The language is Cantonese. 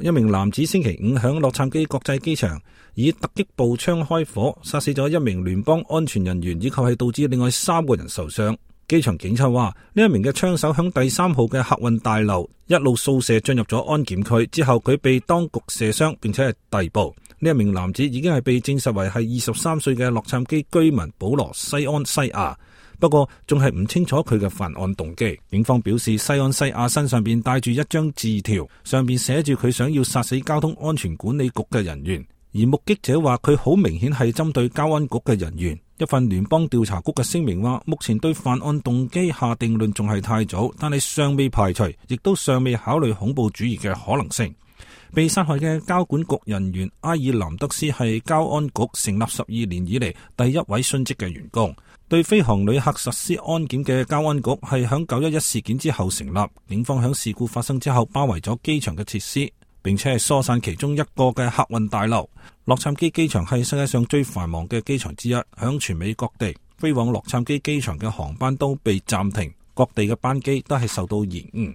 一名男子星期五響洛杉磯國際機場以突擊步槍開火，殺死咗一名聯邦安全人員，以及係導致另外3個人受傷。機場警察話，呢一名嘅槍手響第3號嘅客運大樓一路掃射進入咗安檢區，之後佢被當局射傷，並且係逮捕。呢一名男子已經係被證實為係23歲嘅洛杉磯居民保羅西安西亞，不過仲係唔清楚佢嘅犯案動機。警方表示，西安西亞身上邊帶住一張字條，上邊寫住佢想要殺死交通安全管理局嘅人員，而目擊者話佢好明顯係針對交安局嘅人員。一份聯邦調查局嘅聲明話，目前對犯案動機下定論仲係太早，但係尚未排除，亦都尚未考慮恐怖主義嘅可能性。被殺害嘅交管局人員埃爾南德斯係交安局成立12年以嚟第一位殉職嘅員工。對飛航旅客實施安檢嘅交安局係響911事件之後成立，警方響事故發生之後包圍咗機場嘅設施，並且係疏散其中一個嘅客運大樓。洛杉磯機場係世界上最繁忙嘅機場之一，響全美各地飛往洛杉磯機場嘅航班都被暫停，各地嘅班機都係受到延誤。